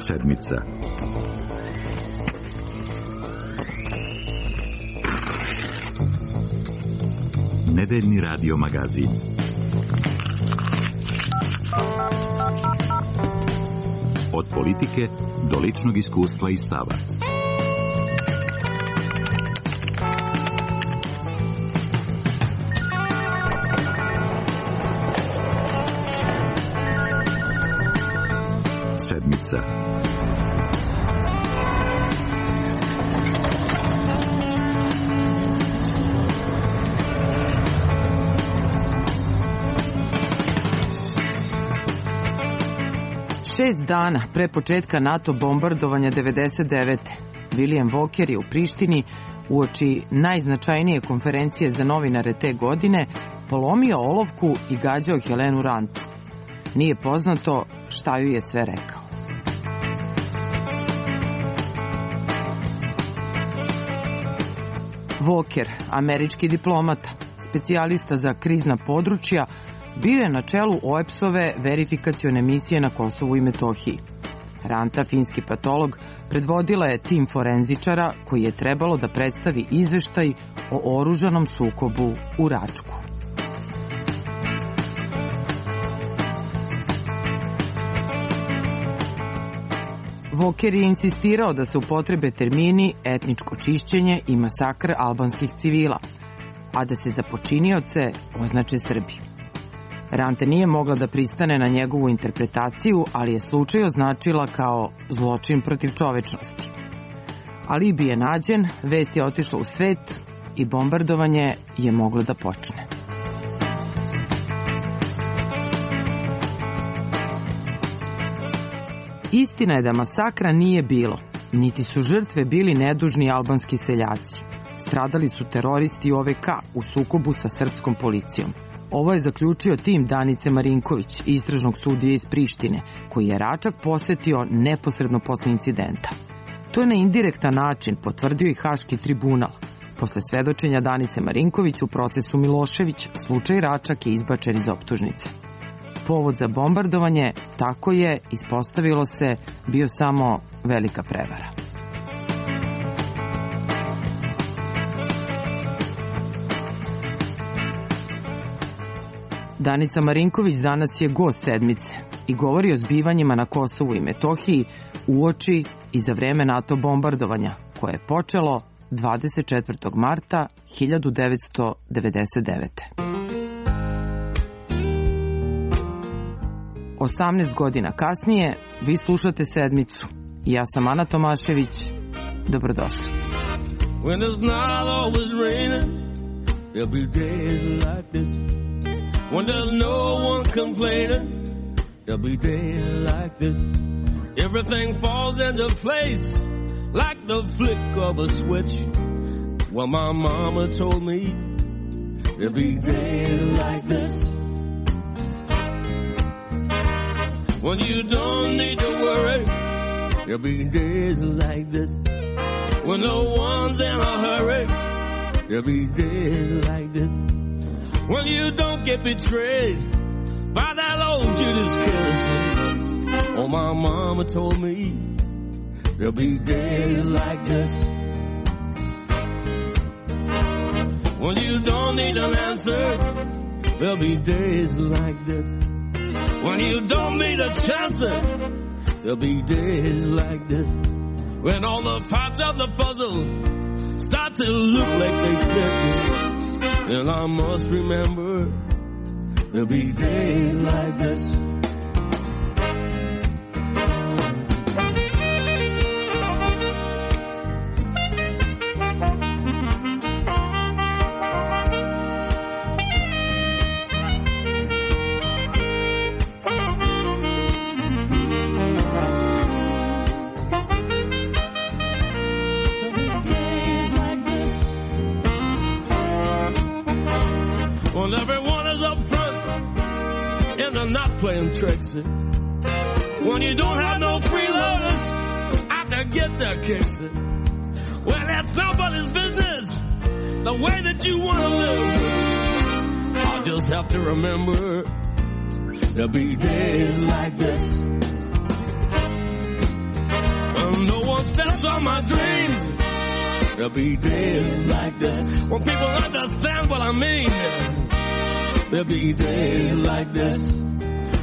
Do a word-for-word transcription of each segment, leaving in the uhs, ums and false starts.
Sedmica. Nedeljni radio magazin. Od politike do ličnog iskustva i stava. Sedmica. Šest dana pre početka NATO bombardovanja devedeset devete. William Walker je u Prištini uoči najznačajnije konferencije za novinare te godine polomio olovku i gađao Helenu Rantu. Nije poznato šta ju je sve rekao. Walker, američki diplomata, specijalista za krizna područja, bio je na čelu O E P S-ove verifikacione misije na Kosovu i Metohiji. Ranta, finski patolog, predvodila je tim forenzičara koji je trebalo da predstavi izveštaj o oružanom sukobu u Račku. Walker je insistirao da se upotrebe termini etničko čišćenje i masakr albanskih civila, a da se za počinioce označe Srbi. Ranta nije mogla da pristane na njegovu interpretaciju, ali je slučaj označila kao zločin protiv čovečnosti. Alibi je nađen, vest je otišla u svet i bombardovanje je moglo da počne. Istina je da masakra nije bilo, niti su žrtve bili nedužni albanski seljaci. Stradali su teroristi O V K u sukobu sa srpskom policijom. Ovo je zaključio tim Danice Marinković, istražnog sudije iz Prištine, koji je Račak posetio neposredno posle incidenta. To je na indirektan način potvrdio i Haški tribunal. Posle svedočenja Danice Marinković u procesu Milošević, slučaj Račak je izbačen iz optužnice. Povod za bombardovanje, tako je, ispostavilo se, bio samo velika prevara. Danica Marinković danas je gost sedmice i govori o zbivanjima na Kosovu i Metohiji uoči i za vreme NATO bombardovanja, koje je počelo dvadeset četvrtog marta hiljadu devetsto devedeset devete. osamnaest godina kasnije vi slušate Sedmicu. Ja sam Ana Tomašević. Dobrodošli. When it's not always raining, there'll be days like this. When there's no one complaining, there'll be days like this. Everything falls into place like the flick of a switch. Well, my mama told me there'll be days like this. When you don't need to worry, there'll be days like this. When no one's in a hurry, there'll be days like this. When you don't get betrayed by that old Judas kiss. Oh, my mama told me there'll be days like this. When you don't need an answer, there'll be days like this. When you don't need a chance, there'll be days like this. When all the parts of the puzzle start to look like they fit. And I must remember there'll be days like this. Well, everyone is up front and they're not playing tricks. When you don't have no freeloaders out to get their kicks. Well, that's nobody's business, the way that you want to live. I'll just have to remember there'll be days like this. footsteps of my dreams. There'll be days like this when people understand what I mean. There'll be days like this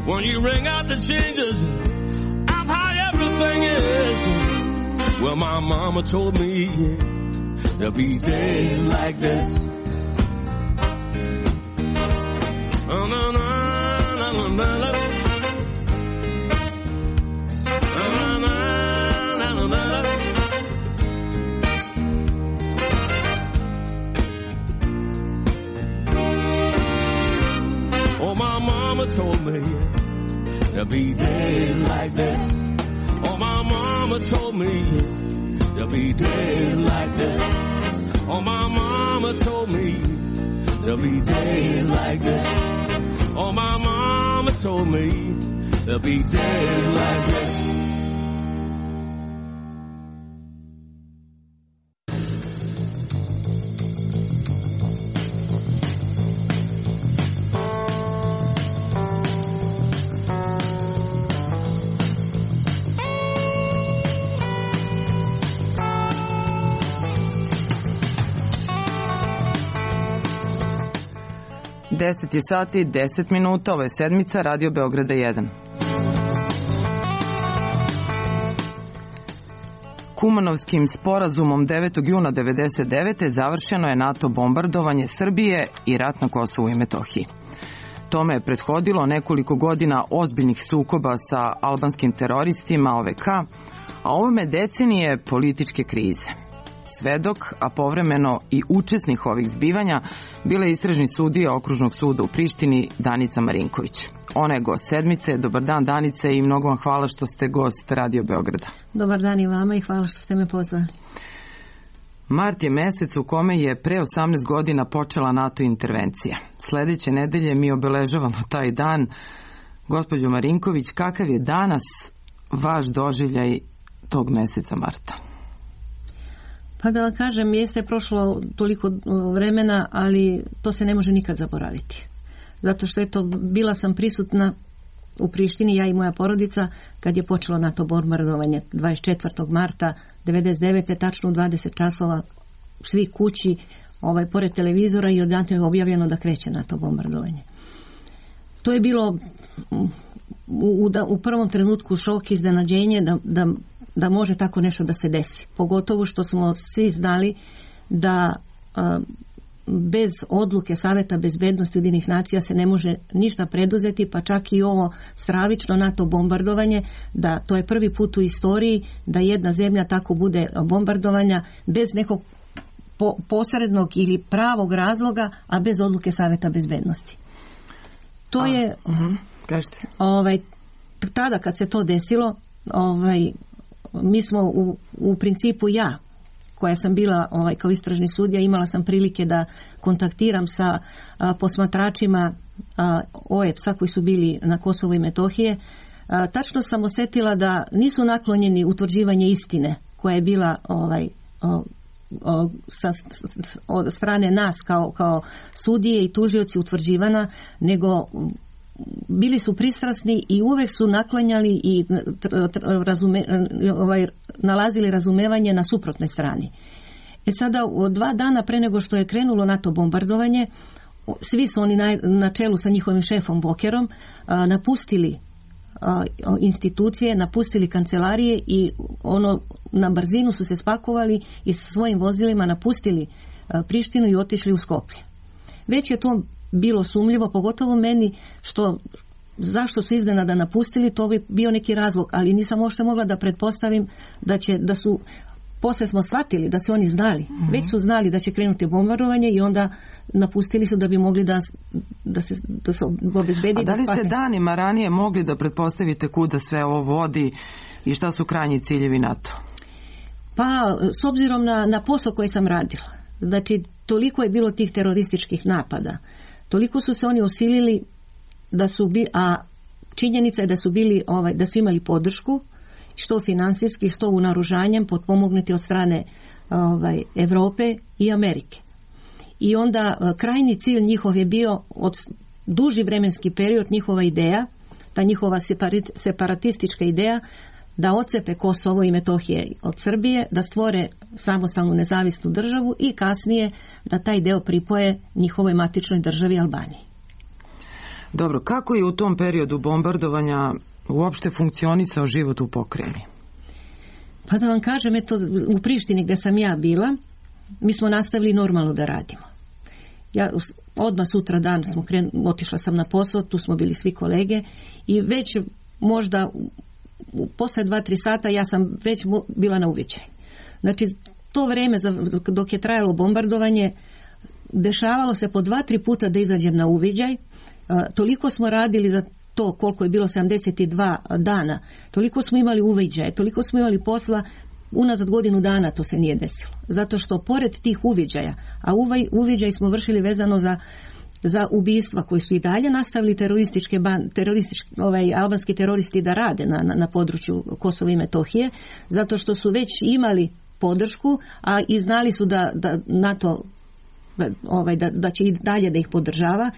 when you ring out the changes of how everything is. Well, my mama told me there'll be days like this. Oh, no, no, no, no, no, no. Oh, no, no, no, no, no. Oh, my mama told me there'll be days like this. Oh, my mama told me there'll be days like this. Oh, my mama told me there'll be days like this. Oh, my mama told me there'll be days like this. deset je sati, deset minuta, ovo je sedmica Radio Beograda jedan. Kumanovskim sporazumom devetog juna devedeset devete završeno je NATO bombardovanje Srbije i rat na Kosovu i Metohiji. Tome je prethodilo nekoliko godina ozbiljnih sukoba sa albanskim teroristima O V K, a ovome decenije političke krize. Svedok, a povremeno i učesnik ovih zbivanja, bila je istražni sudija Okružnog suda u Prištini Danica Marinković. Ona je gost sedmice. Dobar dan, Danice, i mnogo vam hvala što ste gost Radio Beograda. Dobar dan i vama i hvala što ste me pozvali. Mart je mesec u kome je pre osamnaest godina počela NATO intervencija. Sledeće nedelje mi obeležavamo taj dan. Gospođo Marinković, kakav je danas vaš doživljaj tog meseca marta? Pa da vam kažem, jeste prošlo toliko vremena, ali to se ne može nikad zaboraviti. Zato što eto, bila sam prisutna u Prištini, ja i moja porodica, kad je počelo NATO bombardovanje dvadeset četvrtog marta devedeset devete tačno u dvadeset časova, svi kući, ovaj, pored televizora, i odatle je objavljeno da kreće NATO bombardovanje. To je bilo u, u, u prvom trenutku šok, iznenađenje da, da da može tako nešto da se desi. Pogotovo što smo svi znali da a, bez odluke Saveta bezbednosti Ujedinjenih nacija se ne može ništa preduzeti, pa čak i ovo stravično NATO bombardovanje, da to je prvi put u istoriji da jedna zemlja tako bude bombardovanja bez nekog po, posrednog ili pravog razloga, a bez odluke Saveta bezbednosti. To a, je uh-huh. Kažete. Ovaj, tada kad se to desilo, ovaj, mi smo u, u principu ja, koja sam bila ovaj, kao istražni sudija, imala sam prilike da kontaktiram sa a, posmatračima a, O E P S-a koji su bili na Kosovu i Metohije. A, tačno sam osjetila da nisu naklonjeni utvrđivanje istine koja je bila ovaj, o, o, sa, od strane nas kao, kao sudije i tužioci utvrđivana, nego bili su pristrasni i uvek su naklanjali i razume, ovaj, nalazili razumevanje na suprotnoj strani. E sada, dva dana pre nego što je krenulo NATO bombardovanje, svi su oni na, na čelu sa njihovim šefom Bokerom a, napustili a, institucije, napustili kancelarije i ono na brzinu su se spakovali i sa svojim vozilima napustili a, Prištinu i otišli u Skoplje. Već je to bilo sumljivo, pogotovo meni, što zašto su iznenada napustili, to bi bio neki razlog, ali nisam uopšte mogla da pretpostavim da će, da su, posle smo shvatili da su oni znali, mm-hmm. već su znali da će krenuti bombardovanje i onda napustili su da bi mogli da, da se, da se obezbedi. A da li ste danima ranije mogli da pretpostavite kuda sve ovo vodi i šta su krajnji ciljevi NATO? Pa, s obzirom na, na posao koji sam radila, znači toliko je bilo tih terorističkih napada, toliko su se oni osilili da su bi, a činjenica je da su bili ovaj, da su imali podršku što finansijski, što u naoružanjem, potpomognuti od strane ovaj, Evrope i Amerike. I onda krajnji cilj njihov je bio od duži vremenski period, njihova ideja, ta njihova separatistička ideja da ocepe Kosovo i Metohije od Srbije, da stvore samostalnu nezavisnu državu i kasnije da taj deo pripoje njihovoj matičnoj državi Albaniji. Dobro, kako je u tom periodu bombardovanja uopšte funkcionisao život u pokrajini? Pa da vam kažem, eto, u Prištini gdje sam ja bila, mi smo nastavili normalno da radimo. Ja odmah sutra dan smo kren, otišla sam na posao, tu smo bili svi kolege i već možda posle dva, tri sata ja sam već bila na uviđaj. Znači, to vreme dok je trajalo bombardovanje, dešavalo se po dva, tri puta da izađem na uviđaj. Toliko smo radili za to koliko je bilo sedamdeset dva dana, toliko smo imali uviđaje, toliko smo imali posla, unazad godinu dana to se nije desilo. Zato što pored tih uviđaja, a ovaj uviđaj smo vršili vezano za za ubistva koji su i dalje nastavili terorističke ban, teroristički, ovaj, albanski teroristi da rade na, na, na području Kosova i Metohije, zato što su već imali podršku, a i znali su da, da NATO ovaj, da, da će i dalje da ih podržava.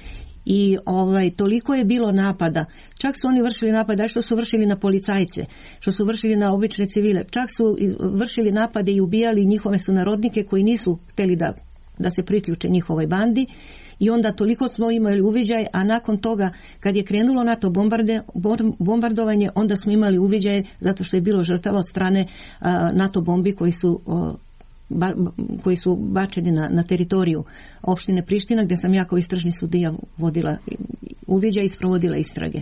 I ovaj, toliko je bilo napada, čak su oni vršili napade, što su vršili na policajce, što su vršili na obične civile, čak su vršili napade i ubijali njihove sunarodnike koji nisu htjeli da, da se priključe njihovoj bandi. I onda toliko smo imali uviđaj, a nakon toga kad je krenulo NATO bombarde, bombardovanje, onda smo imali uviđaj zato što je bilo žrtava od strane a, NATO bombi koji su a, Ba, koji su bačeni na, na teritoriju opštine Priština, gdje sam ja kao istražni sudija vodila uviđaj i sprovodila istrage.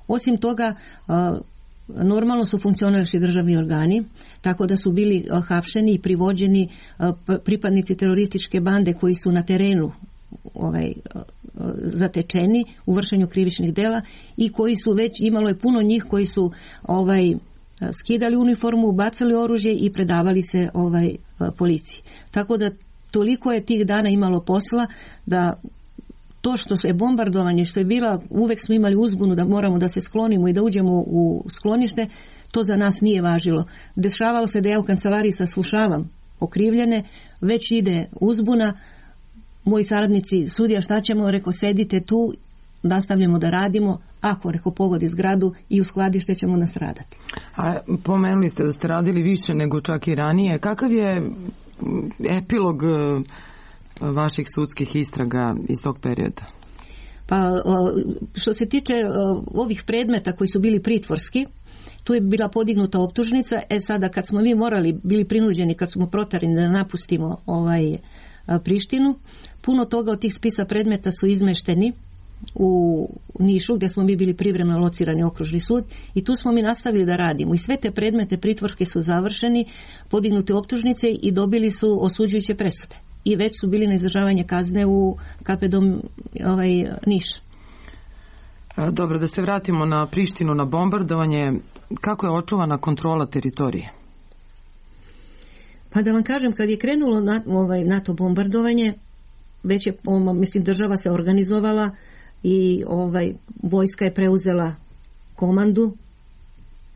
Osim toga, normalno su funkcionirali državni organi, tako da su bili hapšeni i privođeni pripadnici terorističke bande koji su na terenu ovaj, zatečeni u vršenju krivičnih dela i koji su već, imalo je puno njih koji su ovaj, skidali uniformu, bacali oružje i predavali se ovaj policiji. Tako da toliko je tih dana imalo posla da to što je bombardovanje, što je bila, uvek smo imali uzbunu da moramo da se sklonimo i da uđemo u sklonište, to za nas nije važilo. Dešavalo se da ja u kancelariji saslušavam okrivljene, već ide uzbuna, moji saradnici, sudija šta ćemo, reko sedite tu, nastavljamo da radimo, ako reko pogodi zgradu i u skladište ćemo nastradati. A pomenuli ste da ste radili više nego čak i ranije. Kakav je epilog vaših sudskih istraga iz tog perioda? Pa što se tiče ovih predmeta koji su bili pritvorski, tu je bila podignuta optužnica. E sada kad smo mi morali, bili prinuđeni, kad smo protarani da napustimo ovaj Prištinu, puno toga od tih spisa predmeta su izmešteni u Nišu, gdje smo mi bili privremeno locirani okružni sud i tu smo mi nastavili da radimo i sve te predmete pritvorske su završeni, podignute optužnice i dobili su osuđujuće presude i već su bili na izdržavanje kazne u K P dom ovaj, Niš. Dobro, da se vratimo na Prištinu, na bombardovanje. Kako je očuvana kontrola teritorije? Pa da vam kažem, kad je krenulo na, ovaj, NATO bombardovanje, već je, mislim, država se organizovala i ovaj, vojska je preuzela komandu,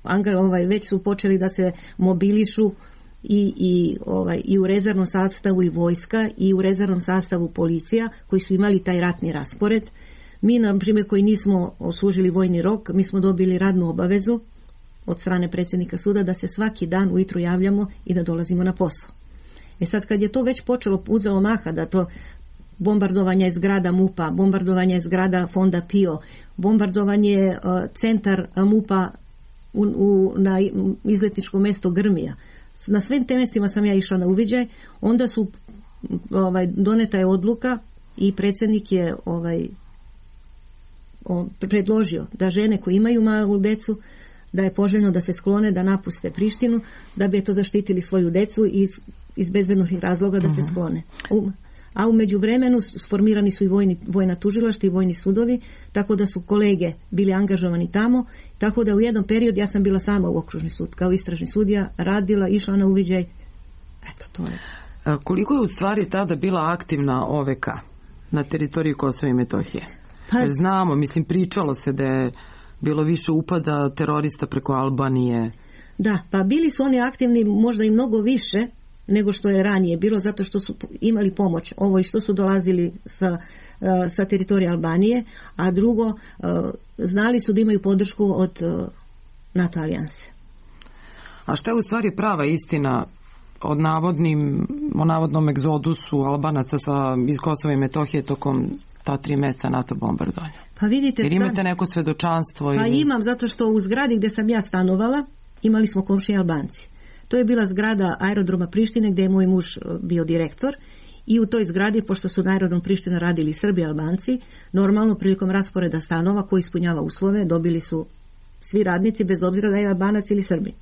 Angar, ovaj, već su počeli da se mobilišu i, i, ovaj, i u rezervnom sastavu i vojska i u rezervnom sastavu policija koji su imali taj ratni raspored. Mi, na primjer, koji nismo oslužili vojni rok, mi smo dobili radnu obavezu od strane predsjednika suda da se svaki dan ujutru javljamo i da dolazimo na posao. E sad kad je to već počelo, uzelo maha da to bombardovanje je zgrada MUP-a, bombardovanje je zgrada fonda P I O, bombardovanje je uh, centar MUP-a u, u, na izletničko mjesto Grmija. Na svim te mjestima sam ja išla na uviđaj, onda su ovaj, doneta je odluka i predsjednik je ovaj, on, predložio da žene koje imaju malu decu, da je poželjno da se sklone, da napuste Prištinu, da bi to zaštitili svoju decu i iz, iz bezbednosnih razloga da uh-huh. se sklone. U, a u međuvremenu sformirani su i vojni, vojna tužilaštva i vojni sudovi, tako da su kolege bili angažovani tamo, tako da u jednom periodu ja sam bila sama u okružni sud, kao istražni sudija, radila, išla na uviđaj. Eto, to je. A koliko je u stvari tada bila aktivna O V K na teritoriji Kosova i Metohije? Pa, jer znamo, mislim, pričalo se da je bilo više upada terorista preko Albanije. Da, pa bili su oni aktivni možda i mnogo više nego što je ranije bilo, zato što su imali pomoć. Ovo i što su dolazili sa, sa teritorije Albanije, a drugo, znali su da imaju podršku od NATO alijanse. A šta je u stvari prava istina od navodnim, o navodnom egzodusu Albanaca sa, iz Kosova i Metohije tokom ta tri meseca NATO bombardovanja? Pa vidite, jer imate neko svedočanstvo? Pa ili... imam, zato što u zgradi gdje sam ja stanovala imali smo komšije Albanci. To je bila zgrada aerodroma Prištine gdje je moj muž bio direktor i u toj zgradi, pošto su na aerodrom Priština radili Srbi i Albanci, normalno prilikom rasporeda stanova koji ispunjava uslove dobili su svi radnici bez obzira da je Albanac ili Srbin.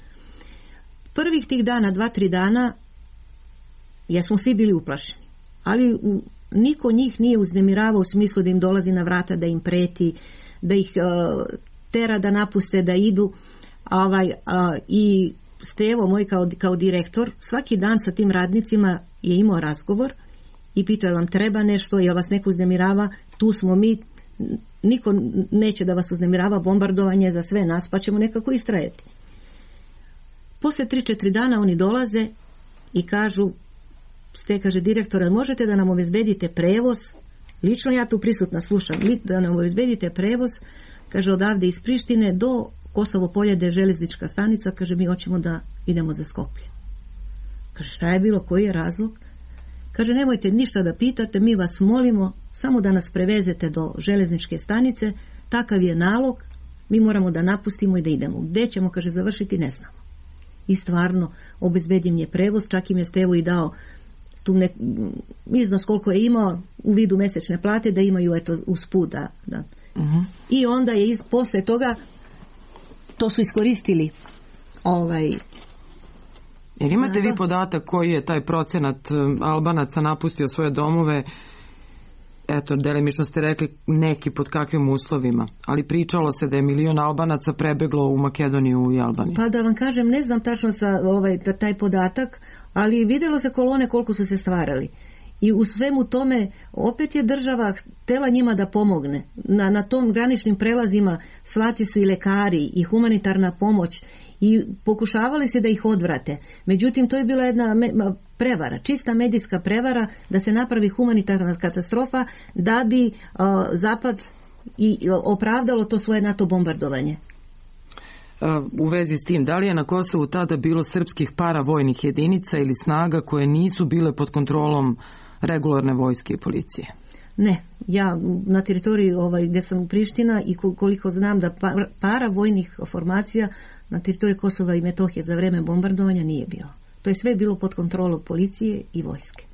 Prvih tih dana, dva, tri dana, jesmo svi bili uplašeni, ali u, niko njih nije uznemiravao u smislu da im dolazi na vrata, da im preti, da ih uh, tera da napuste, da idu. Ovaj, uh, I Stevo, moj kao, kao direktor, svaki dan sa tim radnicima je imao razgovor i pitao, vam treba nešto, jel vas neko uznemirava, tu smo mi, niko neće da vas uznemirava, bombardovanje za sve nas, pa ćemo nekako istrajati. Poslije tri četiri dana oni dolaze i kažu, ste, kaže direktore, možete da nam obezbedite prevoz, lično ja tu prisutna slušam, da nam obezbedite prevoz, kaže, odavde iz Prištine do Kosovo polje, gdje je železnička stanica, kaže, mi hoćemo da idemo za Skoplje. Kaže, šta je bilo, koji je razlog? Kaže, nemojte ništa da pitate, mi vas molimo samo da nas prevezete do železničke stanice, takav je nalog, mi moramo da napustimo i da idemo. Gdje ćemo, kaže, završiti, ne znamo. I stvarno, obezbedim je prevoz, čak im je Stevo i dao tu ne, iznos koliko je imao u vidu mesečne plate, da imaju eto usput. Da, da. Uh-huh. I onda je iz, posle toga to su iskoristili ovaj... Jer imate vi podatak koji je taj procenat Albanaca napustio svoje domove? Eto, delimično ste rekli neki pod kakvim uslovima, ali pričalo se da je milion Albanaca prebeglo u Makedoniju i Albaniju. Pa da vam kažem, ne znam tačno sa ovaj, taj podatak, ali vidjelo se kolone koliko su se stvarali. I u svemu tome opet je država htjela njima da pomogne. Na, na tom graničnim prelazima svati su i lekari i humanitarna pomoć i pokušavali se da ih odvrate. Međutim, to je bila jedna prevara, čista medijska prevara da se napravi humanitarna katastrofa da bi uh, Zapad i opravdalo to svoje NATO bombardovanje. U vezi s tim, da li je na Kosovu tada bilo srpskih paravojnih jedinica ili snaga koje nisu bile pod kontrolom regularne vojske i policije? Ne, ja na teritoriji ovaj, gdje sam u Priština i koliko znam da paravojnih formacija na teritoriji Kosova i Metohije za vreme bombardovanja nije bilo. To je sve bilo pod kontrolom policije i vojske.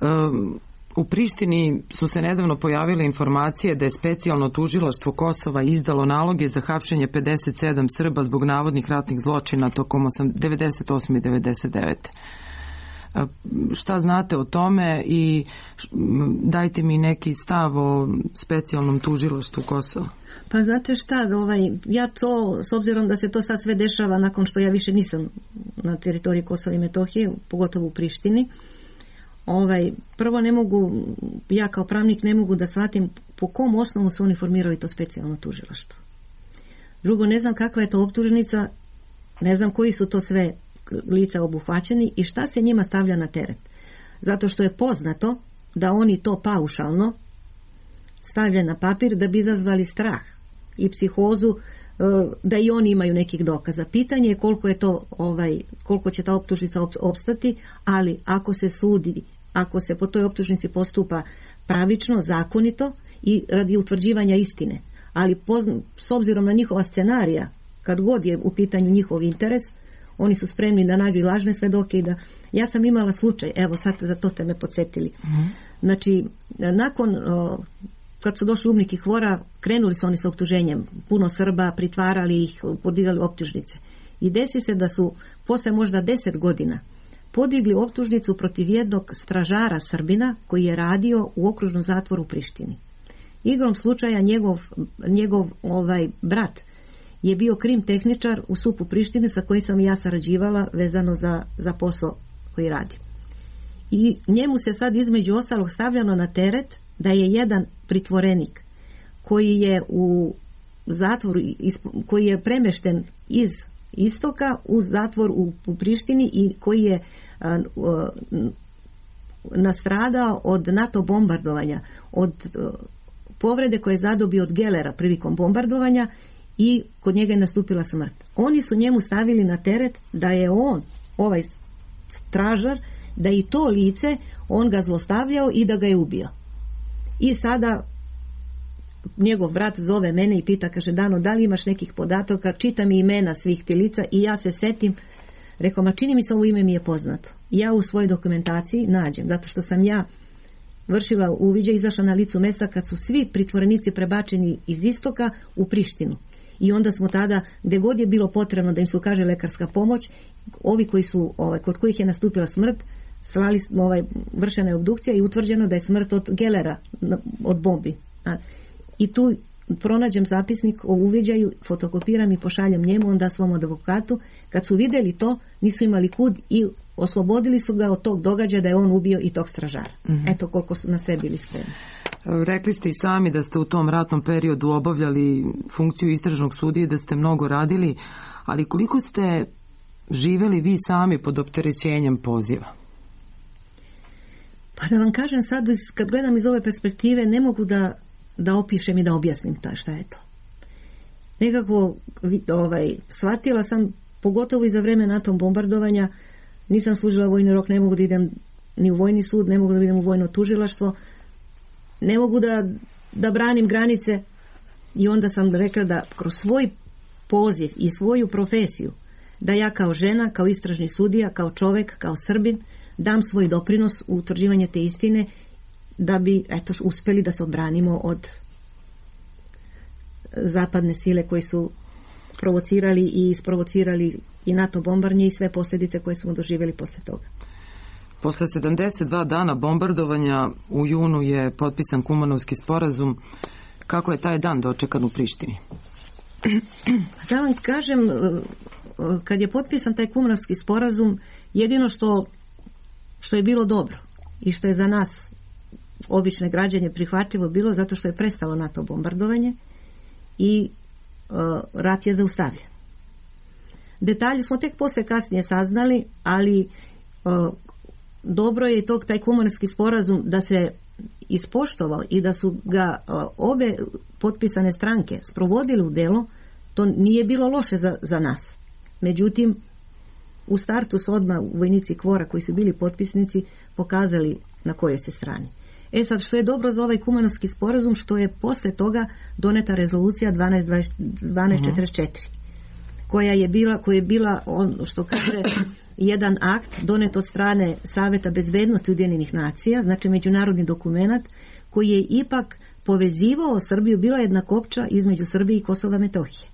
Um, U Prištini su se nedavno pojavile informacije da je specijalno tužilaštvo Kosova izdalo naloge za hapšenje pedeset sedam Srba zbog navodnih ratnih zločina tokom devedeset osme i devedeset devete Šta znate o tome i dajte mi neki stav o specijalnom tužilaštvu Kosova? Pa znate šta, ovaj, ja to, s obzirom da se to sad sve dešava nakon što ja više nisam na teritoriji Kosova i Metohije, pogotovo u Prištini, Ovaj, prvo ne mogu, ja kao pravnik ne mogu da shvatim po kom osnovu su oni formirali to specijalno tužilaštvo. Drugo, ne znam kakva je to optužnica, ne znam koji su to sve lica obuhvaćeni i šta se njima stavlja na teret. Zato što je poznato da oni to paušalno stavljaju na papir da bi izazvali strah i psihozu, da i oni imaju nekih dokaza. Pitanje je koliko je to, ovaj, koliko će ta optužnica opstati, ali ako se sudi, ako se po toj optužnici postupa pravično, zakonito i radi utvrđivanja istine, ali pozna, s obzirom na njihova scenarija, kad god je u pitanju njihov interes, oni su spremni da nađu i lažne svedoke i da... Ja sam imala slučaj, evo sad za to ste me podsjetili. Mm-hmm. Znači, nakon... O, kad su došli umnik i Hvora, krenuli su oni sa optuženjem. Puno Srba, pritvarali ih, podigali optužnice. I desi se da su posle možda deset godina podigli optužnicu protiv jednog stražara Srbina koji je radio u okružnom zatvoru u Prištini. Igrom slučaja njegov, njegov ovaj, brat je bio krim tehničar u SUP-u Prištine sa kojim sam ja sarađivala vezano za, za posao koji radi. I njemu se sad između ostalog stavljano na teret da je jedan pritvorenik koji je u zatvoru, koji je premešten iz istoka u zatvor u, u Prištini i koji je a, a, nastradao od NATO bombardovanja, od a, povrede koje je zadobio od Gelera prilikom bombardovanja i kod njega je nastupila smrt. Oni su njemu stavili na teret da je on, ovaj stražar, da i to lice on ga zlostavljao i da ga je ubio. I sada njegov brat zove mene i pita, kaže, Dano, da li imaš nekih podataka, čita mi imena svih ti lica i ja se setim, rekao, ma čini mi se ovo ime mi je poznato. Ja u svojoj dokumentaciji nađem, zato što sam ja vršila uviđaj, izašla na licu mesta kad su svi pritvorenici prebačeni iz istoka u Prištinu. I onda smo tada, gdje god je bilo potrebno da im se ukaže lekarska pomoć, ovi koji su, ovaj, kod kojih je nastupila smrt, slali, ovaj, vršena je obdukcija i utvrđeno da je smrt od gelera, od bombi. A, I tu pronađem zapisnik o uviđaju, fotokopiram i pošaljem njemu, onda svom advokatu. Kad su vidjeli to, nisu imali kud i oslobodili su ga od tog događaja da je on ubio i tog stražara. Mm-hmm. Eto koliko su na sve bili spremni. Rekli ste i sami da ste u tom ratnom periodu obavljali funkciju istražnog sudije, da ste mnogo radili, ali koliko ste živjeli vi sami pod opterećenjem poziva? Pa da vam kažem sad, kad gledam iz ove perspektive, ne mogu da, da opišem i da objasnim ta šta je to. Nekako ovaj, shvatila sam, pogotovo i za vreme NATO bombardovanja, nisam služila vojni rok, ne mogu da idem ni u vojni sud, ne mogu da idem u vojno tužilaštvo, ne mogu da, da branim granice i onda sam rekla da kroz svoj poziv i svoju profesiju, da ja kao žena, kao istražni sudija, kao čovjek, kao Srbin, dam svoj doprinos u utvrđivanje te istine da bi eto, uspjeli da se odbranimo od zapadne sile koji su provocirali i isprovocirali i NATO bombardanje i sve posljedice koje smo doživjeli poslije toga. Posle sedamdeset dva dana bombardovanja u junu je potpisan Kumanovski sporazum. Kako je taj dan dočekan u Prištini? Da vam kažem, kad je potpisan taj Kumanovski sporazum, jedino što, što je bilo dobro i što je za nas obične građane prihvatljivo bilo, zato što je prestalo NATO bombardovanje i uh, rat je zaustavljen. Detalje smo tek posle kasnije saznali, ali uh, dobro je i tog taj Kumanovski sporazum da se ispoštovao i da su ga uh, obe potpisane stranke sprovodili u delo. To nije bilo loše za, za nas. Međutim, u startu su odmah vojnici Kvora koji su bili potpisnici pokazali na kojoj se strani. E sad, što je dobro za ovaj Kumanovski sporazum, što je posle toga doneta rezolucija dvanaest četrdeset četiri, koja je bila, koja je bila on, što kaže, jedan akt donet od strane Saveta bezbednosti Ujedinjenih nacija, znači međunarodni dokumenat koji je ipak povezivao Srbiju, bila jedna kopča između Srbije i Kosova Metohije.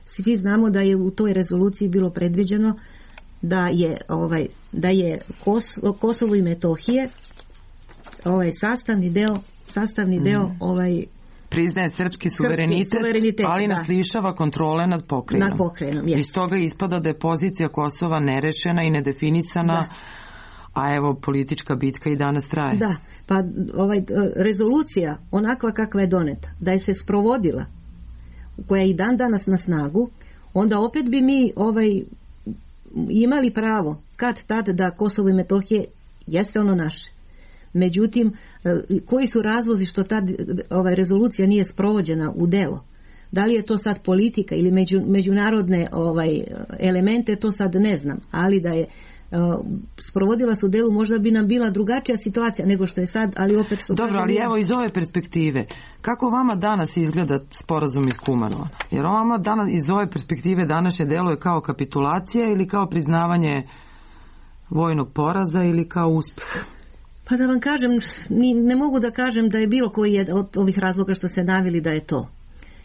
Svi znamo da je u toj rezoluciji bilo predviđeno da je, ovaj, da je Kosovo, Kosovo i Metohije ovaj sastavni deo, sastavni deo mm. ovaj priznaje srpski suverenitet, srpski suverenitet ali nas lišava kontrole nad pokrajinom. Nad pokrajinom, yes. Iz toga ispada da je pozicija Kosova nerešena i nedefinisana, da. A evo politička bitka i danas traje. Da, pa ovaj, rezolucija onakva kakva je doneta, da je se sprovodila, koja je i dan danas na snagu, onda opet bi mi ovaj, imali pravo kad tad da Kosovo i Metohije jeste ono naše. Međutim, koji su razlozi što ta ovaj, rezolucija nije sprovođena u delo? Da li je to sad politika ili među, međunarodne ovaj, elemente, to sad ne znam. Ali da je uh, sprovodila se u delu, možda bi nam bila drugačija situacija nego što je sad, ali opet što... Dobro, ali evo iz ove perspektive, kako vama danas izgleda sporazum iz Kumanova? Jer vama danas, iz ove perspektive današnje delo je kao kapitulacija ili kao priznavanje vojnog poraza ili kao uspjeh? Pa da vam kažem, ni, ne mogu da kažem da je bilo koji je od ovih razloga što ste naveli da je to.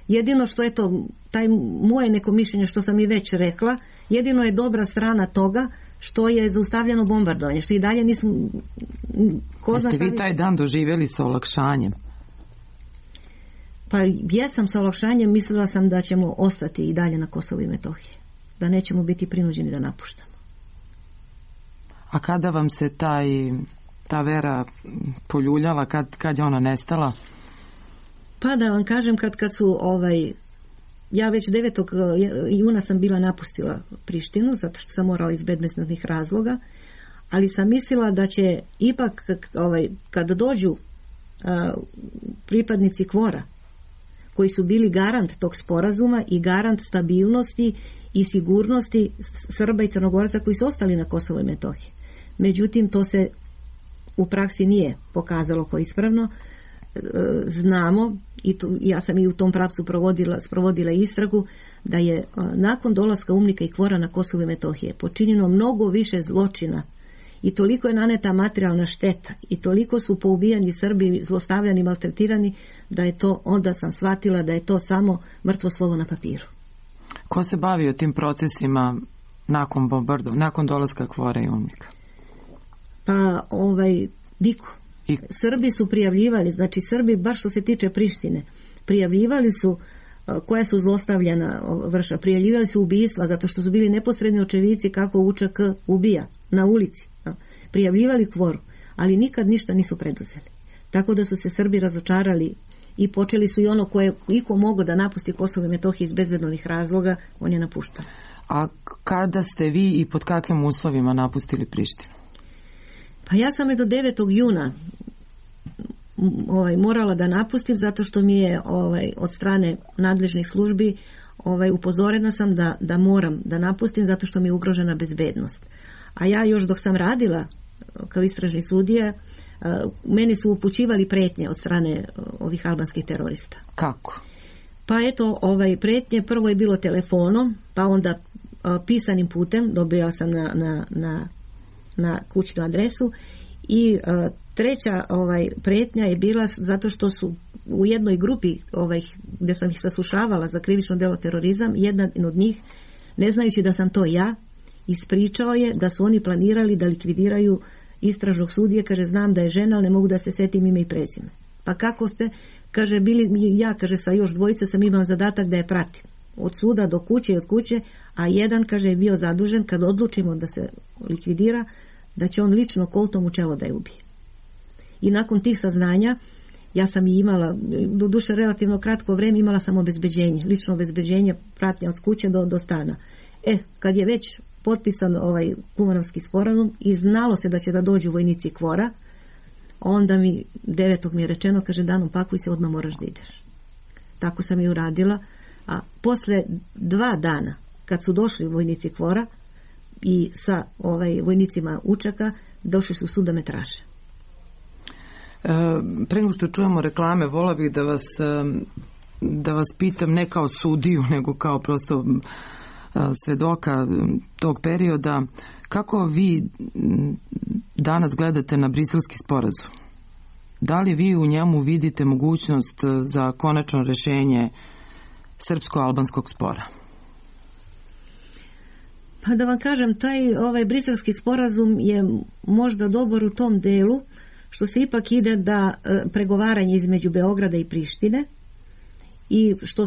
Jedino što je to, taj moje neko mišljenje što sam i već rekla, jedino je dobra strana toga što je zaustavljeno bombardovanje, što i dalje nismo... Ko zna Jeste vi taj dan doživjeli sa olakšanjem? Pa jesam sa olakšanjem, mislila sam da ćemo ostati i dalje na Kosovu i Metohiji, da nećemo biti prinuđeni da napuštamo. A kada vam se taj... ta vera poljuljala, kad, kad je ona nestala? Pa da vam kažem, kad, kad su ovaj, ja već devetog juna sam bila napustila Prištinu, zato što sam morala iz bezbednosnih razloga, ali sam mislila da će ipak ovaj, kad dođu a, pripadnici Kvora, koji su bili garant tog sporazuma i garant stabilnosti i sigurnosti Srba i Crnogoraca koji su ostali na Kosovu i Metohiji. Međutim, to se u praksi nije pokazalo kao ispravno. Znamo, i tu, ja sam i u tom pravcu provodila, sprovodila istragu, da je nakon dolaska UMNIK-a i KFOR-a na Kosovu i Metohije počinjeno mnogo više zločina i toliko je naneta materijalna šteta i toliko su poubijani Srbi, zlostavljani, maltretirani, da je to, onda sam shvatila da je to samo mrtvo slovo na papiru. Ko se bavio tim procesima nakon bombardovanja, nakon dolaska KFOR-a i UMNIK-a? Pa, ovaj, niko. I... Srbi su prijavljivali, znači Srbi, baš što se tiče Prištine, prijavljivali su koja su zlostavljena vrša, prijavljivali su ubistva zato što su bili neposredni očevici kako U Č K ubija na ulici. Prijavljivali KFOR-u, ali nikad ništa nisu preduzeli. Tako da su se Srbi razočarali i počeli su i ono koje iko mogo da napusti Kosovo i Metohiju iz bezbednih razloga, on je napuštao. A kada ste vi i pod kakvim uslovima napustili Prištinu? Pa ja sam je do devetog juna ovaj, morala da napustim zato što mi je ovaj, od strane nadležnih službi ovaj, upozorena sam da, da moram da napustim zato što mi je ugrožena bezbednost. A ja još dok sam radila kao istražni sudija, meni su upućivali pretnje od strane ovih albanskih terorista. Kako? Pa eto, ovaj, pretnje prvo je bilo telefonom, pa onda pisanim putem, dobila sam na, na, na, na kućnu adresu i a, treća ovaj, pretnja je bila zato što su u jednoj grupi ovaj, gdje sam ih saslušavala za krivično djelo terorizam, jedan od njih, ne znajući da sam to ja, ispričao je da su oni planirali da likvidiraju istražnog sudije, kaže znam da je žena, ali ne mogu da se setim ime i prezime. Pa kako ste, kaže bili ja, kaže sa još dvojice sam imala zadatak da je pratim. Od suda do kuće i od kuće, a jedan, kaže, je bio zadužen kad odlučimo da se likvidira, da će on lično koltom u čelo da je ubije. I nakon tih saznanja, ja sam i imala, do duše relativno kratko vreme, imala sam obezbeđenje, lično obezbeđenje, pratnja od kuće do, do stana. E, kad je već potpisan ovaj Kumanovski sporazum i znalo se da će da dođu vojnici KFOR-a, onda mi devetog mi je rečeno, kaže, Danom, pakuj se, odmah moraš da ideš. Tako sam i uradila, a posle dva dana kad su došli vojnici KFOR-a i sa ovaj vojnicima U Č K-a, došli su sud da me traže. E, pre nego što čujemo reklame, vola bih da vas da vas pitam ne kao sudiju, nego kao prosto svedoka tog perioda, kako vi danas gledate na Briselski sporazum? Da li vi u njemu vidite mogućnost za konačno rešenje srpsko-albanskog spora? Pa da vam kažem, taj ovaj Briselski sporazum je možda dobar u tom delu što se ipak ide da pregovaranje između Beograda i Prištine i što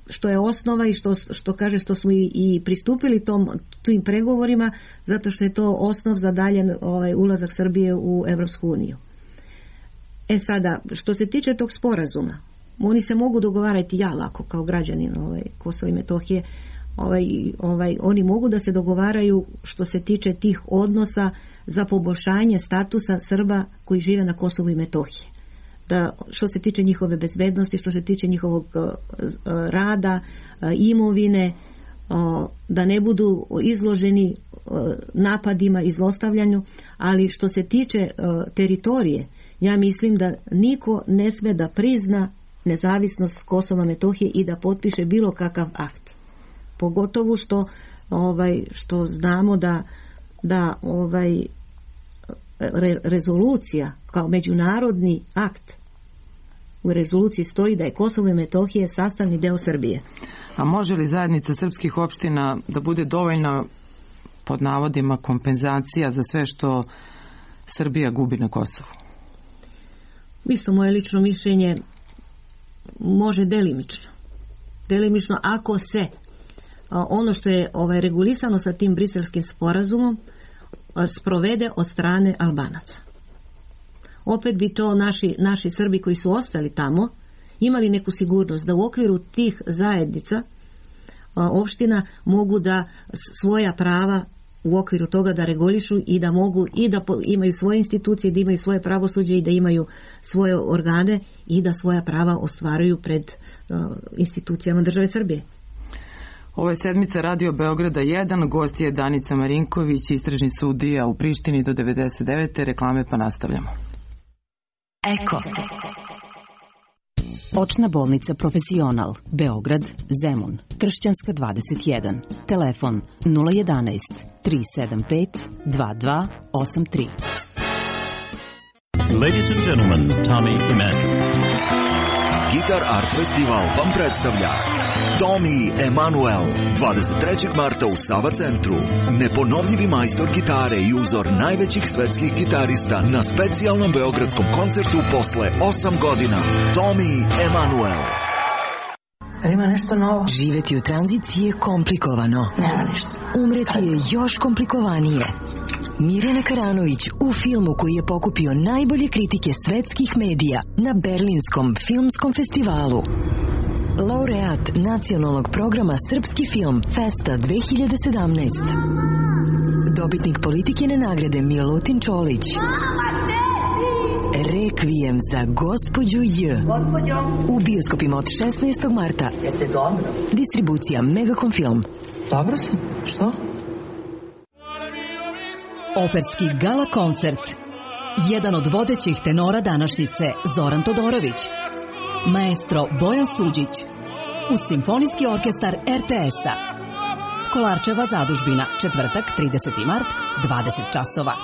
što je osnova i što, što kaže što smo i, i pristupili tom, tim pregovorima zato što je to osnov za dalje ovaj, ulazak Srbije u Evropsku uniju. E sada, što se tiče tog sporazuma, oni se mogu dogovarati, ja lako kao građanin ovaj, Kosova i Metohije, ovaj, ovaj, oni mogu da se dogovaraju što se tiče tih odnosa za poboljšanje statusa Srba koji žive na Kosovu i Metohiji. Da, što se tiče njihove bezbednosti, što se tiče njihovog uh, rada, uh, imovine, uh, da ne budu izloženi uh, napadima i zlostavljanju, ali što se tiče uh, teritorije, ja mislim da niko ne sme da prizna nezavisnost Kosova Metohije i da potpiše bilo kakav akt. Pogotovo što, ovaj, što znamo da, da ovaj, Re, rezolucija kao međunarodni akt, u rezoluciji stoji da je Kosovo i Metohije sastavni deo Srbije. A može li zajednica srpskih opština da bude dovoljna, pod navodima, kompenzacija za sve što Srbija gubi na Kosovu? Isto moje lično mišljenje, može delimično. Delimično ako se a, ono što je ovaj, regulisano sa tim Briselskim sporazumom sprovede od strane Albanaca. Opet bi to naši, naši Srbi koji su ostali tamo imali neku sigurnost da u okviru tih zajednica opština mogu da svoja prava u okviru toga da regulišu i da mogu i da imaju svoje institucije, da imaju svoje pravosuđe i da imaju svoje organe i da svoja prava ostvaruju pred uh, institucijama države Srbije. Ovo je sedmica Radio Beograda jedan, gost je Danica Marinković, istražni sudija u Prištini do devedeset devete. Reklame pa nastavljamo. Eko. Očna bolnica Profesional, Beograd, Zemun, Tršćanska dvadeset jedan. Telefon nula jedanaest, tri sedam pet, dva dva osam tri. Ladies and gentlemen, Tommy Emmanuel. Guitar Art Festival vam predstavlja Tommy Emmanuel dvadeset trećeg marta u Sava centru. Neponovljivi majstor gitare i uzor najvećih svetskih gitarista na specijalnom beogradskom koncertu posle osam godina. Tommy Emmanuel. Ima nešto novo. Živeti u tranziciji je komplikovano. Nema ništa. Umreti je još komplikovanije. Mirjana Karanović u filmu koji je pokupio najbolje kritike svetskih medija na Berlinskom filmskom festivalu. Laureat nacionalnog programa Srpski film Festa dve hiljade sedamnaest. Dobitnik Politikine nagrade Milutin Čolić. Rekvijem za gospođu J. Gospođo. U bioskopima od šesnaestog marta. Jeste dobro? Distribucija Megacom Film. Dobro sam. Što? Operski gala koncert. Jedan od vodećih tenora današnjice Zoran Todorović. Maestro Bojan Suđić. Uz Simfonijski orkestar er te es-a. Kolarčeva zadužbina, četvrtak, trideseti mart, dvadeset časova.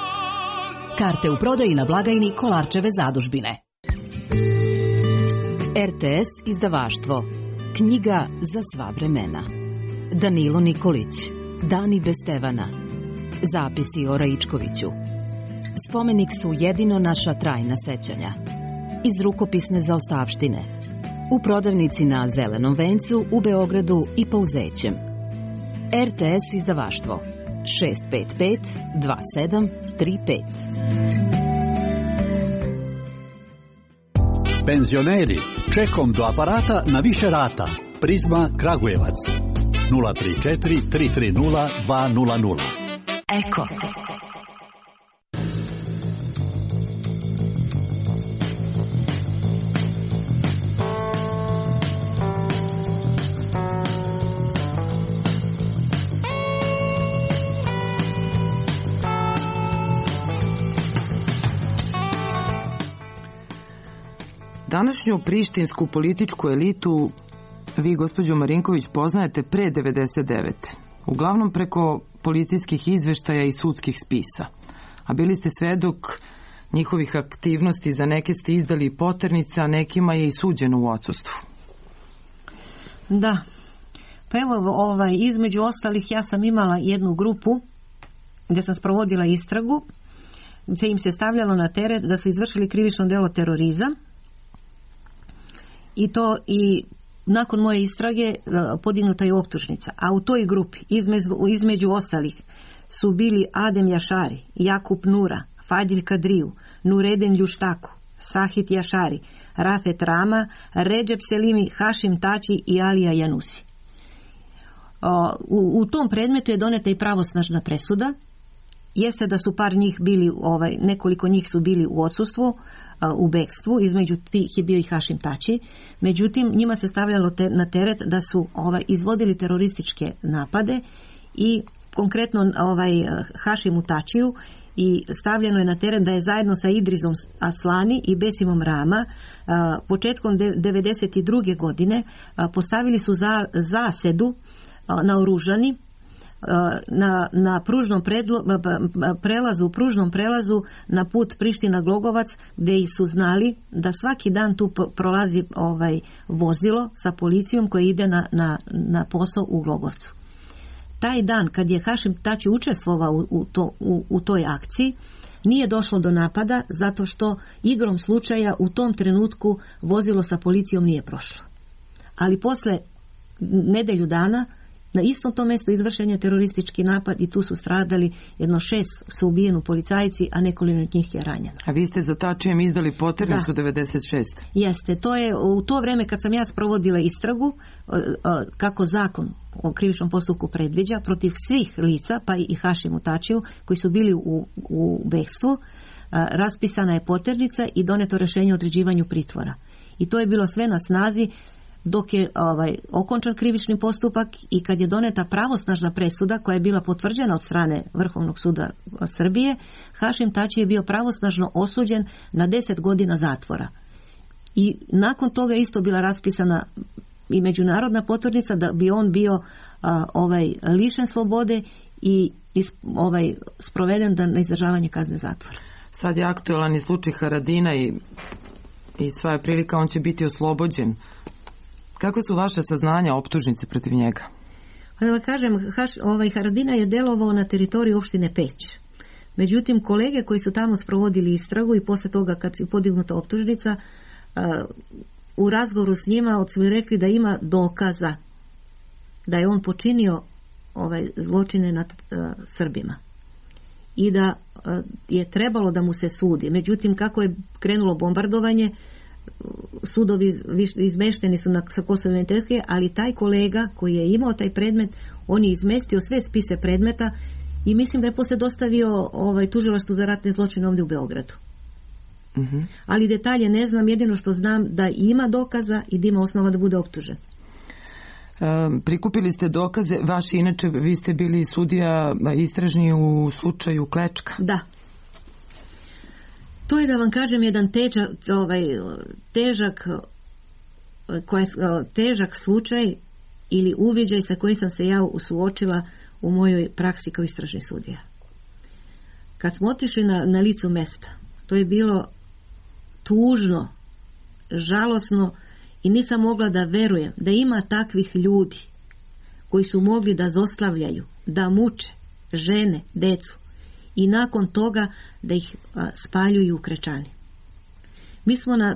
Karte u prodaji na blagajni Kolarčeve zadužbine. er te es izdavaštvo. Knjiga za sva vremena. Danilo Nikolić. Dani bez Stevana. Zapisi o Raičkoviću. Spomenik su jedino naša trajna sećanja. Iz rukopisne zaostavštine. U prodavnici na Zelenom vencu u Beogradu i Pauzećem. er te es izdavaštvo. šest pet pet dva sedam tri pet. Penzioneri, čekom do aparata na više rata. Prizma Kragujevac. nula tri četiri tri tri nula dva nula nula. Eko. Današnju prištinsku političku elitu vi, gospođo Marinković, poznajete pre devedeset devete. Uglavnom preko policijskih izveštaja i sudskih spisa. A bili ste svedok njihovih aktivnosti, za neke ste izdali poternice, a nekima je i suđeno u odsustvu. Da. Pa evo, ovaj, između ostalih ja sam imala jednu grupu gdje sam sprovodila istragu, gdje im se stavljalo na teret da su izvršili krivično delo terorizam. I to i nakon moje istrage podignuta je optužnica. A u toj grupi između, između ostalih su bili Adem Jašari, Jakub Nura, Fadil Kadriju, Nureden Ljuštaku, Sahit Jašari, Rafet Rama, Redžep Selimi, Hašim Tači i Alija Janusi. U, u tom predmetu je doneta i pravosnažna presuda. Jeste da su par njih bili, ovaj, nekoliko njih su bili u odsustvu, u bekstvu, između tih je bio i Hašim Tači. Međutim, njima se stavljalo te, na teret da su ovaj, izvodili terorističke napade i konkretno ovaj, Hašimu Tačiju i stavljeno je na teren da je zajedno sa Idrizom Aslani i Besimom Rama a, početkom devedeset druge godine a, postavili su za, zasedu a, na oružani na, na pružnom predlo, prelazu, u pružnom prelazu na put Priština-Glogovac, gdje su znali da svaki dan tu prolazi ovaj vozilo sa policijom koje ide na, na, na posao u Glogovcu. Taj dan kad je Hašim Tači učestvovao u, u, to, u, u toj akciji, nije došlo do napada zato što igrom slučaja u tom trenutku vozilo sa policijom nije prošlo. Ali posle nedelju dana na istom tom mjestu izvršen je teroristički napad i tu su stradali, jedno šest su ubijeni policajci, a nekoliko od njih je ranjeno. A vi ste za Tačijem izdali poternicu devedeset šeste. Jeste, to je u to vrijeme kad sam ja sprovodila istragu, kako zakon o krivičnom postupku predviđa, protiv svih lica, pa i Hašimu Tačiju, koji su bili u, u bekstvu, raspisana je poternica i doneto rješenje o određivanju pritvora. I to je bilo sve na snazi dok je ovaj, okončan krivični postupak i kad je doneta pravosnažna presuda koja je bila potvrđena od strane Vrhovnog suda Srbije, Hašim Tači je bio pravosnažno osuđen na deset godina zatvora. I nakon toga isto bila raspisana i međunarodna potvrdnica da bi on bio a, ovaj, lišen slobode i is, ovaj, sproveden na izdržavanje kazne zatvora. Sad je aktualan i slučaj Haradina i, i sva je prilika, on će biti oslobođen. Kako su vaše saznanja optužnice protiv njega? Pa da vam kažem, Haš, ovaj Haradina je delovao na teritoriji opštine Peć. Međutim, kolege koji su tamo sprovodili istragu i posle toga kad je podignuta optužnica, uh, u razgovoru s njima su rekli da ima dokaza da je on počinio ovaj zločine nad uh, Srbima i da uh, je trebalo da mu se sudi. Međutim, kako je krenulo bombardovanje, sudovi izmešteni su na, sa Kosova i Metohije, ali taj kolega koji je imao taj predmet, on je izmestio sve spise predmeta i mislim da je poslije dostavio ovaj, tužilaštvu za ratne zločine ovdje u Beogradu. Uh-huh. Ali detalje ne znam, jedino što znam da ima dokaza i da ima osnova da bude optužen. Um, prikupili ste dokaze, vaši inače, vi ste bili sudija istražni u slučaju Klečka. Da. To je, da vam kažem, jedan težak, ovaj, težak, koja, težak slučaj ili uviđaj sa kojim sam se ja suočila u mojoj praksi kao istražni sudija. Kad smo otišli na, na licu mesta, to je bilo tužno, žalosno i nisam mogla da verujem da ima takvih ljudi koji su mogli da zlostavljaju, da muče žene, decu i nakon toga da ih a, spaljuju u Krečani. Mi smo na,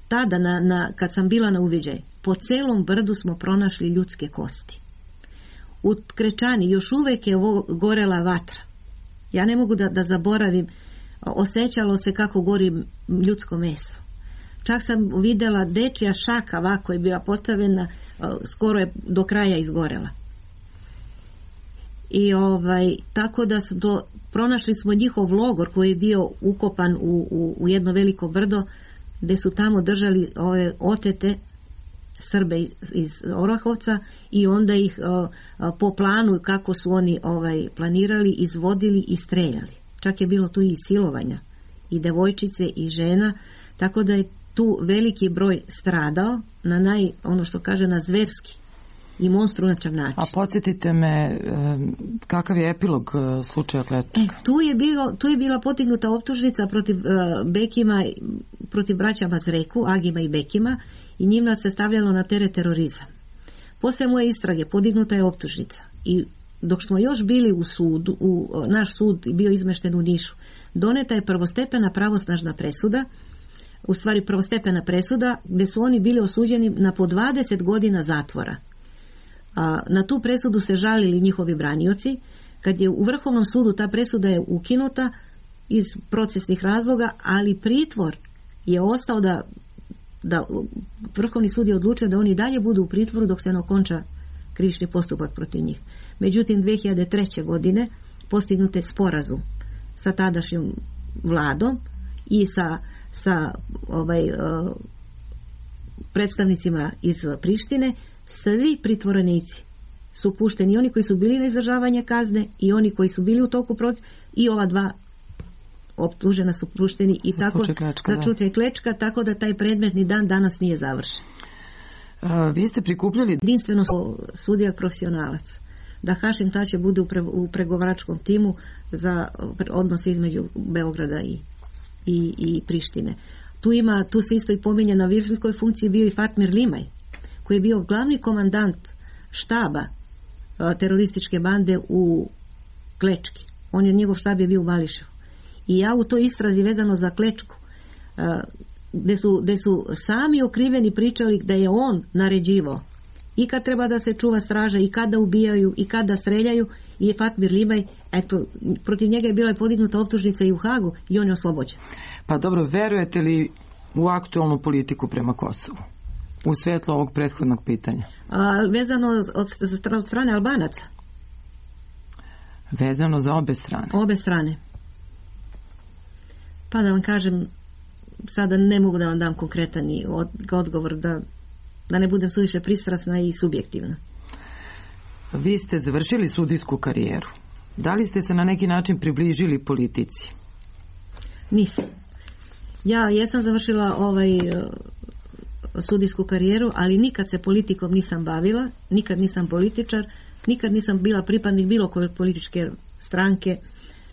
tada, na, na, kad sam bila na uviđaj, po celom brdu smo pronašli ljudske kosti. U Krečani još uvijek je ovo gorela vatra. Ja ne mogu da, da zaboravim, osjećalo se kako gori ljudsko meso. Čak sam vidjela dečija šaka ovako je bila postavljena, skoro je do kraja izgorela. I ovaj, tako da su do, pronašli smo njihov logor koji je bio ukopan u, u, u jedno veliko brdo, gdje su tamo držali ove otete Srbe iz, iz Orahovca i onda ih o, o, po planu kako su oni ovaj, planirali, izvodili i streljali. Čak je bilo tu i silovanja i devojčice i žena, tako da je tu veliki broj stradao na naj, ono što kaže, na zverski i monstruočan način. A podsjetite me, kakav je epilog slučaja Klečka? E, tu je bilo, tu je bila podignuta optužnica protiv uh, Bekima, protiv braća Mazreku, Agima i Bekima, i njima se stavljalo na teret terorizam. Posle moje istrage podignuta je optužnica i dok smo još bili u sudu, u, naš sud bio izmešten u Nišu, doneta je prvostepena pravosnažna presuda, u stvari prvostepena presuda gdje su oni bili osuđeni na po dvadeset godina zatvora. A, na tu presudu se žalili njihovi branioci. Kad je u Vrhovnom sudu ta presuda je ukinuta iz procesnih razloga, ali pritvor je ostao da, da Vrhovni sud je odlučio da oni dalje budu u pritvoru dok se ne okonča krivični postupak protiv njih. Međutim, dve hiljade treće. godine postignut je sporazum sa tadašnjom vladom i sa, sa ovaj, uh, predstavnicima iz Prištine. Svi pritvorenici su pušteni, oni koji su bili na izdržavanje kazne i oni koji su bili u toku procesa, i ova dva optužena su pušteni i tako za slučaj Klečka, tako da taj predmet ni dan danas nije završen. A, vi ste prikupljali jedinstveno sudija profesionalac, da Hašim Tači bude u, pre, u pregovaračkom timu za odnos između Beograda i, i, i Prištine. Tu ima, tu se isto i pominje na viršljivkoj funkciji bio i Fatmir Limaj, koji je bio glavni komandant štaba a, terorističke bande u Klečki. On je, njegov štab je bio u Mališevu. I ja u toj istrazi vezano za Klečku, a, gde su, gde su sami okriveni pričali da je on naređivao i kad treba da se čuva straža, i kada ubijaju, i kada streljaju, i Fatmir Limaj, eto, protiv njega je bila podignuta optužnica i u Hagu i on je oslobođen. Pa dobro, verujete li u aktualnu politiku prema Kosovu? u svetlu ovog prethodnog pitanja? A, vezano od, od strane Albanaca? Vezano za obe strane. Obe strane. Pa da vam kažem, sada ne mogu da vam dam konkretan odgovor, da, da ne budem suviše pristrasna i subjektivna. Vi ste završili sudijsku karijeru. Da li ste se na neki način približili politici? Nisam. Ja jesam završila ovaj sudijsku karijeru, ali nikad se politikom nisam bavila, nikad nisam političar, nikad nisam bila pripadnik bilo koje političke stranke,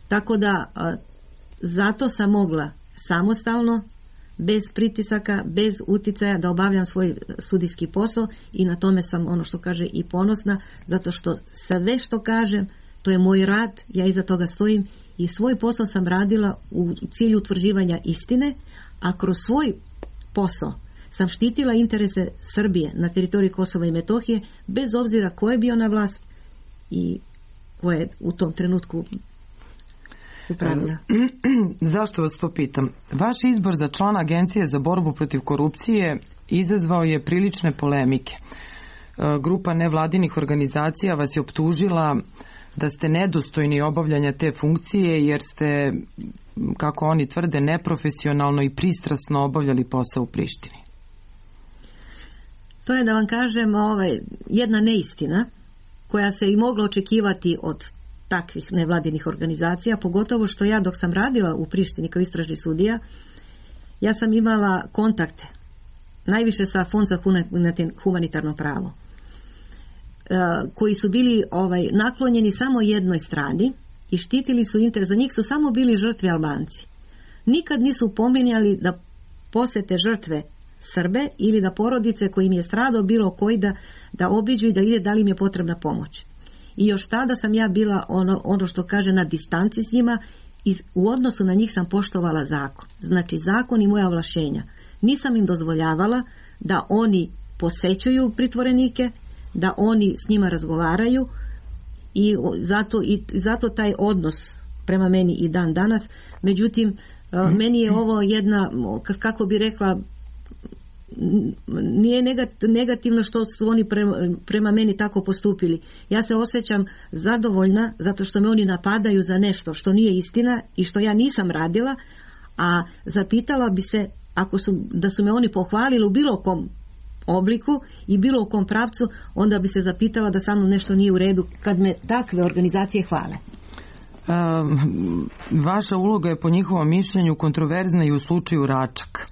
tako da zato sam mogla samostalno, bez pritisaka, bez uticaja da obavljam svoj sudijski posao i na tome sam, ono što kaže, i ponosna, zato što sve što kažem, to je moj rad, ja iza toga stojim i svoj posao sam radila u cilju utvrđivanja istine, a kroz svoj posao sam štitila interese Srbije na teritoriji Kosova i Metohije, bez obzira ko je bio na vlast i ko je u tom trenutku upravlja. Zašto vas to pitam? Vaš izbor za člana Agencije za borbu protiv korupcije izazvao je prilične polemike. Grupa nevladinih organizacija vas je optužila da ste nedostojni obavljanja te funkcije jer ste, kako oni tvrde, neprofesionalno i pristrasno obavljali posao u Prištini. To je, da vam kažem, ovaj, jedna neistina koja se i mogla očekivati od takvih nevladinih organizacija, pogotovo što ja dok sam radila u Prištini kao istražni sudija, ja sam imala kontakte najviše sa Fond za humanitarno pravo, koji su bili ovaj, naklonjeni samo jednoj strani i štitili su interes, za njih su samo bili žrtve Albanci. Nikad nisu pominjali da posete žrtve Srbe ili da porodice kojim je stradao bilo koji da, da obiđu i da ide da li im je potrebna pomoć. I još tada sam ja bila ono, ono što kaže na distanci s njima i u odnosu na njih sam poštovala zakon. Znači zakon i moja ovlašćenja. Nisam im dozvoljavala da oni posećuju pritvorenike, da oni s njima razgovaraju i zato, i zato taj odnos prema meni i dan danas. Međutim, mm. meni je ovo jedna, kako bi rekla, nije negativno što su oni prema, prema meni tako postupili. Ja se osjećam zadovoljna zato što me oni napadaju za nešto što nije istina i što ja nisam radila, a zapitala bi se ako su, da su me oni pohvalili u bilo kom obliku i bilo u kom pravcu, onda bi se zapitala da sa mnom nešto nije u redu kad me takve organizacije hvale. Um, vaša uloga je po njihovom mišljenju kontroverzna i u slučaju Račak.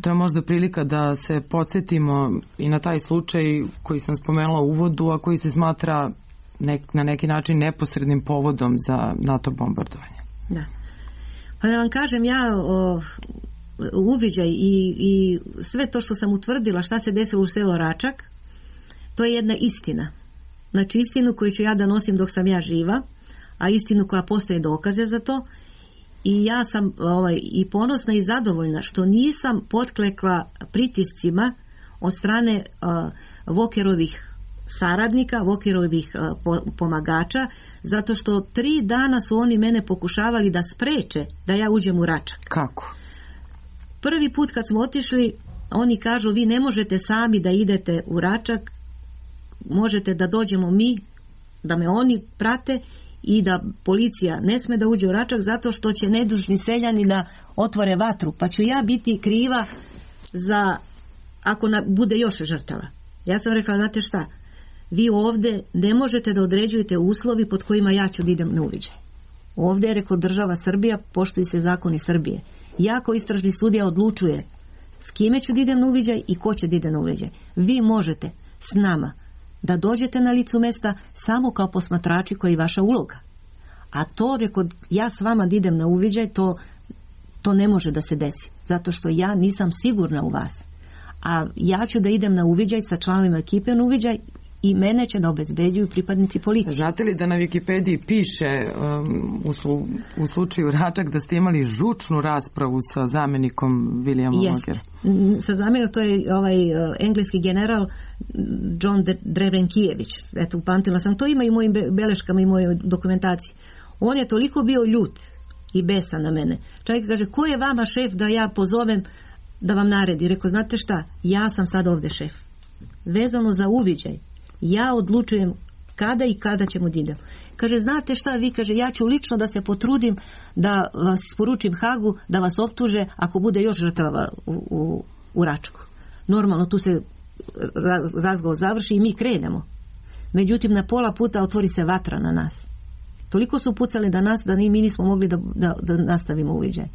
To je možda prilika da se podsjetimo i na taj slučaj koji sam spomenula u uvodu, a koji se smatra nek, na neki način neposrednim povodom za NATO bombardovanje. Da. Pa da vam kažem, ja o, uviđaj i, i sve to što sam utvrdila šta se desilo u selu Račak, to je jedna istina. Znači istinu koju ću ja da nosim dok sam ja živa, a istinu koja postoje dokaze za to. I ja sam ovaj, i ponosna i zadovoljna što nisam potklekla pritiscima od strane uh, Vokerovih saradnika, Vokerovih uh, po, pomagača, zato što tri dana su oni mene pokušavali da spreče da ja uđem u Račak. Kako? Prvi put kad smo otišli, oni kažu vi ne možete sami da idete u Račak, možete da dođemo mi, da me oni prate i da policija ne sme da uđe u Račak zato što će nedužni seljani da otvore vatru, pa ću ja biti kriva za ako na, bude još žrtava. Ja sam rekla, znate šta, vi ovdje ne možete da određujete uslovi pod kojima ja ću da idem na uviđaj. Ovdje je, rekao, država Srbija, poštuju se zakoni Srbije. Ja kao istražni sudija odlučuje s kime ću da idem na uviđaj i ko će da ide na uviđaj. Vi možete s nama da dođete na licu mesta samo kao posmatrači koji je vaša uloga. A to, rekao, ja s vama da idem na uviđaj, to, to ne može da se desi. Zato što ja nisam sigurna u vas. A ja ću da idem na uviđaj sa članovima ekipe na uviđaj i mene će da obezbeđuju pripadnici policije. Znate li da na Wikipediji piše um, u, slu, u slučaju Račak da ste imali žučnu raspravu sa zamjenikom Williamom Logerom? Sa zamjenikom, to je ovaj uh, engleski general John Drevenkijević. Eto, upamtila sam. To ima i u mojim beleškama i mojoj dokumentaciji. On je toliko bio ljut i besan na mene. Čovjek kaže, ko je vama šef da ja pozovem da vam naredi. Rekao, znate šta, ja sam sad ovde šef. Vezano za uviđaj, ja odlučujem kada i kada ćemo da idemo. Kaže, znate šta, vi, kaže, ja ću lično da se potrudim da vas poručim Hagu, da vas optuže ako bude još žrtava u, u, u Račku. Normalno, tu se razgovor završi i mi krenemo. Međutim, na pola puta otvori se vatra na nas. Toliko su pucali da nas da mi nismo mogli da, da, da nastavimo uviđaj.